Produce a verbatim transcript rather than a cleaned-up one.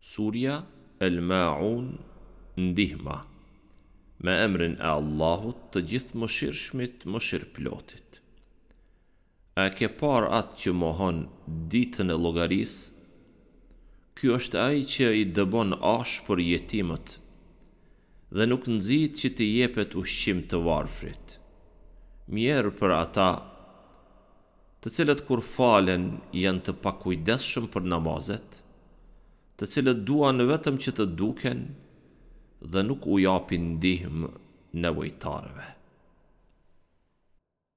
Surja El Maun Ndihma Me emrin e Allahut të Gjithëmëshirshmit Mëshirëplotit A e ke parë atë që mohon Ditën e Llogarisë? Ky është ai që i dëbon ashpër jetimët dhe nuk nxit që t'i jepet ushqim të varfrit. Mjerë për ata, të cilët kur falen janë të pakujdesshëm për namazet, të cilët duan vetëm që të duken dhe nuk u japin ndihmë nevojtarëve.